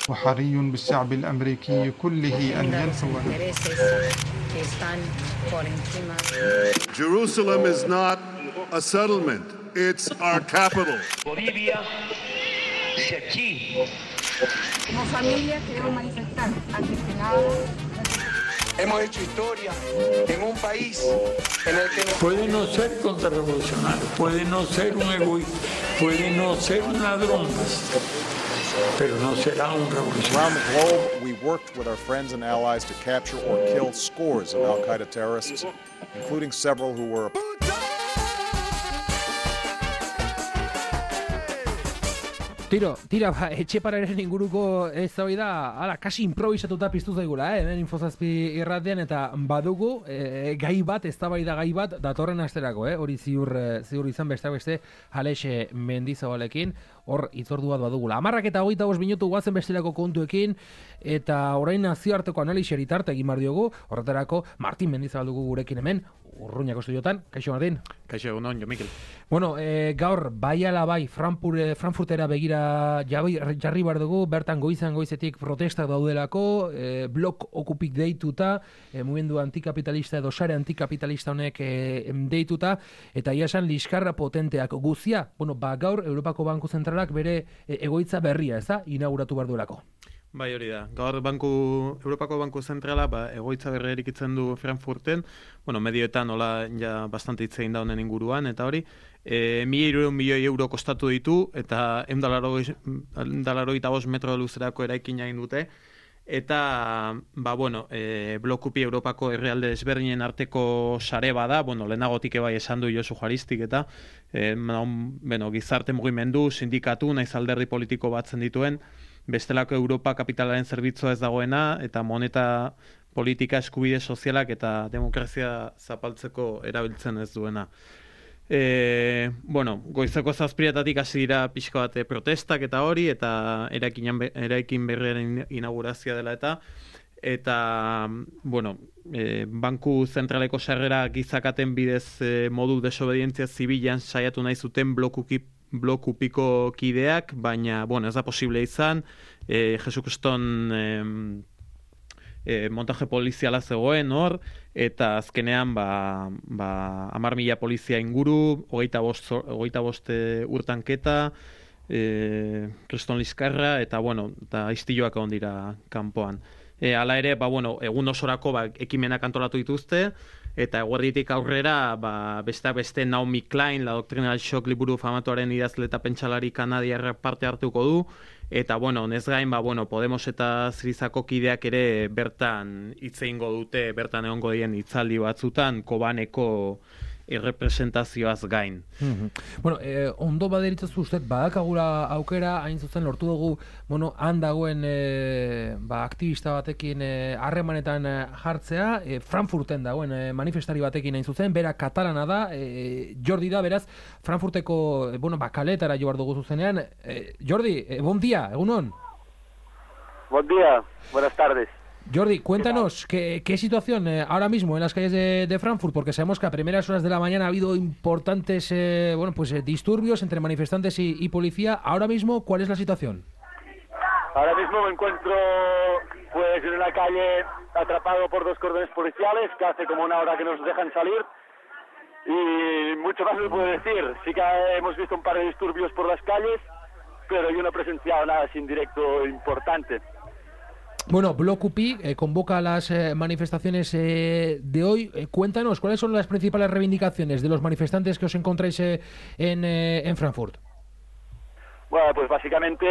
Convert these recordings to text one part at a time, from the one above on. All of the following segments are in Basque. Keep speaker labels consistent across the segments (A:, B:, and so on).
A: وحري بالشعب الأمريكي كله أن ينفو.
B: Jerusalem is not a settlement, it's our capital.
C: Bolivia, si aquí.
D: Como familia queremos manifestar ante el Senado.
C: Hemos hecho historia en un país en el que
E: puede no ser contrarrevolucionario, puede no ser un egoísta, puede no ser un ladrón, pero no será un revolucionario.
F: Around the globe, we worked with our friends and allies to capture or kill scores of Al-Qaeda terrorists, including several who were
G: Tira, etxepararen inguruko eztabaida ala kasi improvisatuta piztu zaigula, hemen Infozazpi irratean, eta badugu gai bat, eztabaida gai bat datorren asterako, hori ziur izan besteak beste Alex Mendizabalekin, hor itzordua badugula. 10:25 minutu guazen bestelako kontuekin, eta orain nazioarteko analisiari tarte egin behar diogu, horretarako Martin Mendizabal dugu gurekin hemen, Urruñako estudiotan. Kaixo Martin.
H: Kaixo egunon, Jo Mikel.
G: Bueno, gaur bai ala bai Frankfurtera begira jarri behar dugu, bertan goizetik protestak daudelako, blok okupik deituta, mugimendu antikapitalista edo sare antikapitalista honek deituta, eta iasan liskarra potenteak guzia, gaur Europako Banku Zentralak bere egoitza berria, inauguratu behar duelako.
H: Bai, hori da. Gaur Europako Banku Zentrala egoitza berria erikitzen du Frankfurten, medioetan hola ja bastante hitz egin da honen inguruan, eta hori, 1.300 milioi euro kostatu ditu, eta 185 metro luzerako eraikina egin dute, eta, blokupi Europako herrialde desberdinen arteko sare bada, lehenagotik bai esan du Josu Juaristik, eta gizarte mugimendu, sindikatu, naiz alderdi politiko batzen dituen, bestelako Europa kapitalaren zerbitzua ez dagoena, eta moneta politika, eskubide sozialak eta demokrazia zapaltzeko erabiltzen ez duena. Goizeko 7:00 hasi dira pixka bat protestak eta hori, eta eraikin berriaren inaugurazioa dela eta Banku Zentraleko sarrera gizakaten bidez modu desobedientzia zibilan saiatu nahi zuten blokupiko kideak, baina, ez da posible izan, Jesukriston montaje poliziala zegoen hor, eta azkenean 10.000 polizia inguru, 25 urtanketa, kriston liskarra, eta istiloak egon dira kanpoan. Hala ere, egun osorako ekimenak antolatu dituzte, eta eguerditik aurrera, besteak beste Naomi Klein, La Doctrina del Shock liburu famatuaren idazle eta pentsalari kanadiarra parte hartuko du, eta honez gain, Podemos eta Zirizako kideak ere bertan hitz egingo dute, bertan egongo dien hitzaldi batzutan, Kobaneko errepresentazioaz gain.
G: Ondo baderitzazu uste, badakagula aukera, hain zuzen lortu dugu, han dagoen aktivista batekin harremanetan jartzea, Frankfurten dagoen manifestari batekin hain zuzen, bera katalana da, Jordi da, beraz, Frankfurteko, kaletara jo behar dugu zuzenean. Jordi, bon dia, egunon.
I: Buen día, buenas tardes.
G: Jordi, cuéntanos, ¿qué situación ahora mismo en las calles de Frankfurt? Porque sabemos que a primeras horas de la mañana ha habido importantes disturbios entre manifestantes y policía. Ahora mismo, ¿cuál es la situación?
I: Ahora mismo me encuentro en una calle atrapado por 2 cordones policiales, que hace como una hora que nos dejan salir, y mucho más no puedo decir. Sí que hemos visto un par de disturbios por las calles, pero yo no he presenciado nada así en directo importante.
G: Bloc UPI convoca las manifestaciones de hoy. Cuéntanos, ¿cuáles son las principales reivindicaciones de los manifestantes que os encontráis en Frankfurt?
I: Bueno, pues básicamente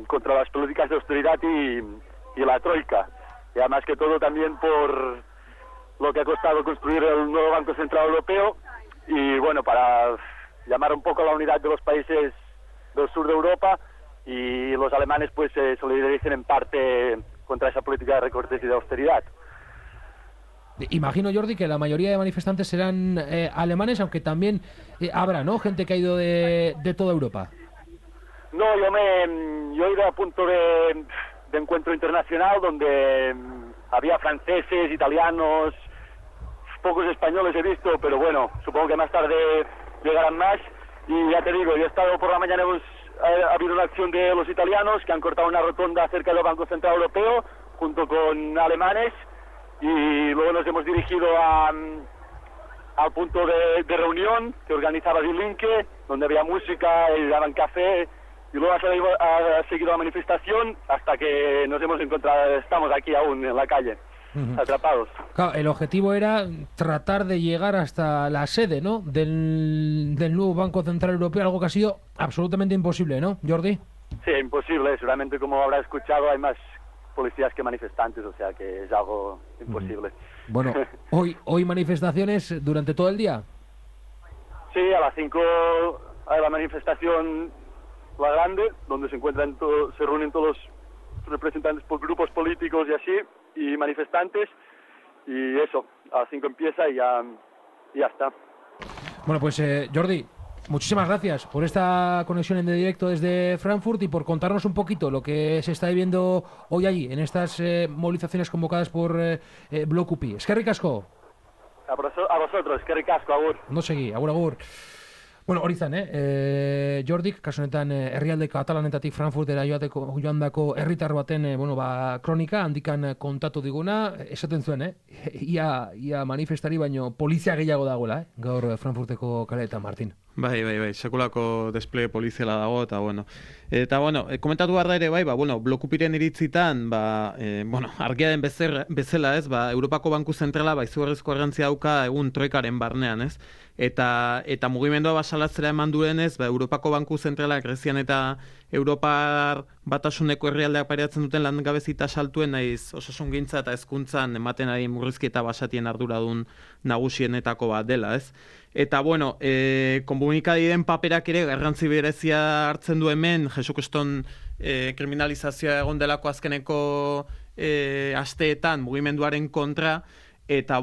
I: contra las políticas de austeridad y la troika. Y además que todo también por lo que ha costado construir el nuevo Banco Central Europeo y para llamar un poco a la unidad de los países del sur de Europa, y los alemanes se solidaricen en parte contra esa política de recortes y de austeridad.
G: Imagino, Jordi, que la mayoría de manifestantes serán alemanes, aunque también habrá, ¿no?, gente que ha ido de toda Europa.
I: No, yo he ido a punto de encuentro internacional donde había franceses, italianos, pocos españoles he visto, pero supongo que más tarde llegarán más. Y ya te digo, yo he estado por la mañana ha habido una acción de los italianos que han cortado una rotonda cerca del Banco Central Europeo junto con alemanes y luego nos hemos dirigido al punto de reunión que organizaba Die Linke, donde había música y daban café, y luego ha seguido la manifestación hasta que nos hemos encontrado, estamos aquí aún en la calle, atrapados.
G: Claro, el objetivo era tratar de llegar hasta la sede, ¿no?, del nuevo Banco Central Europeo, algo que ha sido absolutamente imposible, ¿no, Jordi?
I: Sí, imposible, seguramente como habrá escuchado hay más policías que manifestantes, o sea que es algo imposible.
G: Bueno, hoy manifestaciones durante todo el día.
I: Sí, a las 5 hay la manifestación, la grande, donde se reúnen todos los representantes por grupos políticos y así, y manifestantes, y eso, a las 5 empieza y ya está.
G: Bueno, pues Jordi, muchísimas gracias por esta conexión en directo desde Frankfurt y por contarnos un poquito lo que se está viviendo hoy allí, en estas movilizaciones convocadas por Blok UPI. Eskerrik asko.
I: A vosotros, eskerrik asko, agur.
G: Ondo segi, agur. Bueno, hori zan, Jordik, kasu honetan herrialde katalanetatik Frankfurtera joandako herritar baten kronika handikan kontatu diguna, esaten zuen, ia manifestari baino polizia gehiago dagoela, gaur Frankfurteko kaleetan, Martin.
H: Bai, sekulako despliegue poliziala dago, eta komentatu barra ere, Blok UPIren iritzitan, argia den bezala, ez, Europako Banku Zentrala, izugarrizko garrantzia dauka egun troikaren barnean, ez, eta mugimendua basalatzera eman duenez, Europako Banku Zentrala, Grezian eta Europar batasuneko herrialdeak pairatzen duten langabezita saltuen naiz osasungintza eta hezkuntzan ematen ari murrizki eta basatien arduradun nagusienetako bat dela, ez? Eta, komunikabideen paperak ere garrantzi berezia hartzen du hemen, Jesukriston kriminalizazioa egon delako azkeneko asteetan mugimenduaren kontra, eta,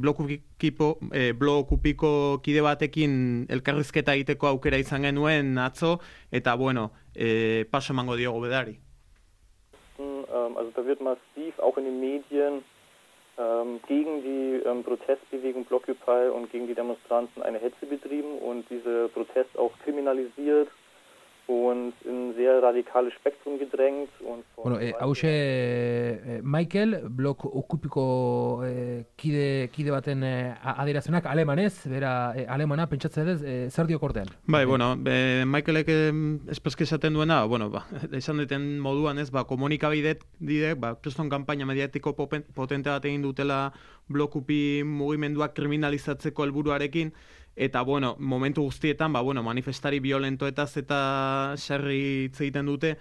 H: Blok UPIko kide batekin elkarrizketa egiteko aukera izan genuen atzo, eta, paso emango diogu bedari.
J: Also da wird massiv, auch in den Medien, gegen die Protestbewegung Blockupy und gegen die Demonstranten eine Hetze betrieben und diese Protest auch kriminalisiert und in sehr radikales Spektrum gedrängt.
G: Hauxe Michael, Blok UPIko kide baten adierazionak alemanez, bera alemana, pentsatzen dut, zer dio kortean?
H: Michaelek espreski esaten duena, esan duten moduan ez, komunikabideek, kriston kanpaina mediatiko potente bat egin dutela Blok UPI mugimenduak kriminalizatzeko helburuarekin, eta, momentu guztietan, manifestari violentoetaz eta sarri hitz egiten dute,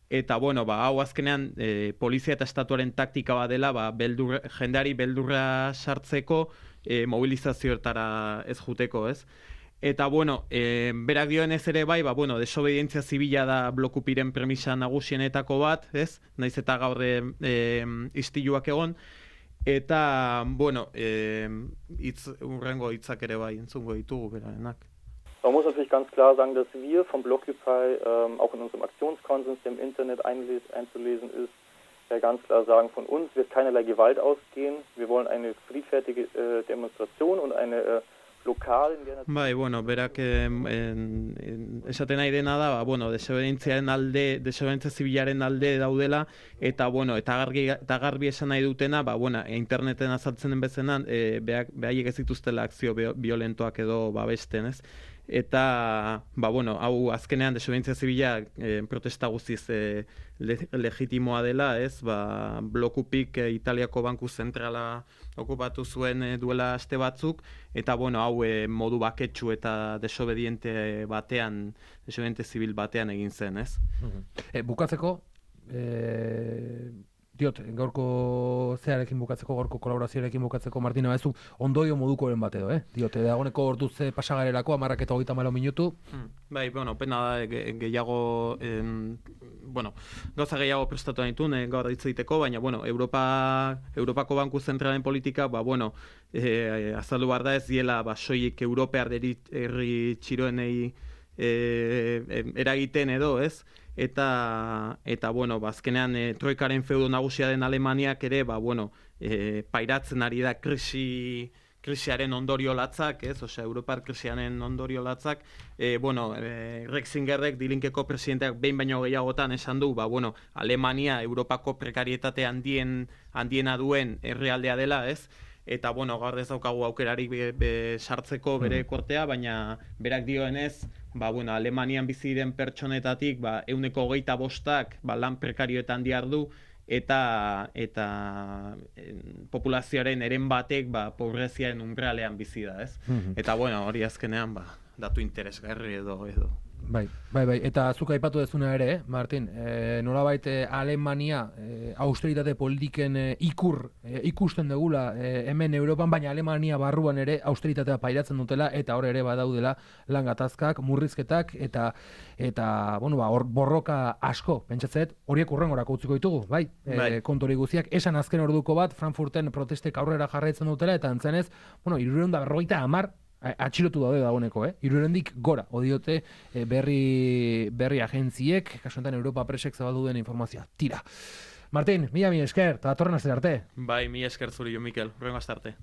H: eta, hau azkenean polizia eta estatuaren taktika bat dela, jendeari beldurra sartzeko mobilizazioetara ez juteko, ez? Eta, berak dioenez ere desobedientzia zibila da Blok UPIren premisa nagusienetako bat, ez? Naiz eta gaur istiluak egon, eta, urrengo hitzak ere entzungo ditugu berarenak.
J: Man muss natürlich ganz klar sagen, dass wir vom Blockupy, auch in unserem Aktionskonsens, der im Internet einzulesen ist, ganz klar sagen, von uns wird keinerlei Gewalt ausgehen. Wir wollen eine friedfertige Demonstration und eine lokal...
H: berak esaten nahi dena da, desobedientzia zibilaren alde daudela, eta garbi esan nahi dutena, interneten azaltzen den bezenan, behaiek ez dituztela akzio violentoak edo babesten, ez? Eta, hau azkenean desobedientzia zibila protesta guztiz legitimoa dela, ez? Blok UPIk Italiako Banku Zentrala okupatu zuen duela aste batzuk, eta, hau modu baketsu eta desobediente zibil batean egin zen, ez?
G: Bukatzeko, gaurko zearekin bukatzeko, gaurko kolaborazioarekin bukatzeko, Martina, baezu ondoio modukoren bat edo, dagoeneko orduz pasagarelako, 10:34 minutu.
H: Pena da, gehiago, gauza gehiago prestatu nituen, gaur hitz egiteko, baina, Europako Banku Zentralen politika, azaldu behar da ez diela, soilik Europear herri txiroenei eragiten edo, ez? Eta azkenean troikaren feudo nagusia den Alemaniak ere, pairatzen ari da krisi krisiaren ondorio latzak, ez? Osea, Europar krisiaren ondorio latzak, Ratzingerrek, Dilinkeko presidenteak behin baino gehiagotan esan du, Alemania Europako prekarietate handiena duen herrialdea dela, ez? Eta, gaur ez daukagu aukerarik sartzeko bere kortea, baina berak dioenez, Alemanian bizi diren pertsonetatik, 25% lan prekarioetan diardu, eta populazioaren eren batek pobreziaren umbralean bizi da, ez? Eta, hori azkenean, datu interesgarri edo.
G: Bai. Eta zuk aipatu dezuna ere, Martin, nolabait Alemania austeritate politiken ikusten dugula hemen Europan, baina Alemania barruan ere austeritatea pairatzen dutela, eta hor ere badaudela lan gatazkak, murrizketak, eta hor borroka asko, pentsatzet, horiek urrengorako utziko ditugu, bai? Kontori guztiak, esan azken orduko bat, Frankfurten protestek aurrera jarraitzen dutela, eta antzenez, 350 atxilotu daude dagoeneko, 300-dik gora, odiote berri agentziek, kasu enten Europa Presek zabaldu den informazioa. Tira. Martin, mila esker, eta datorren astera arte.
H: Bai, mila esker zuri jo, Mikel, hurrengo astarte.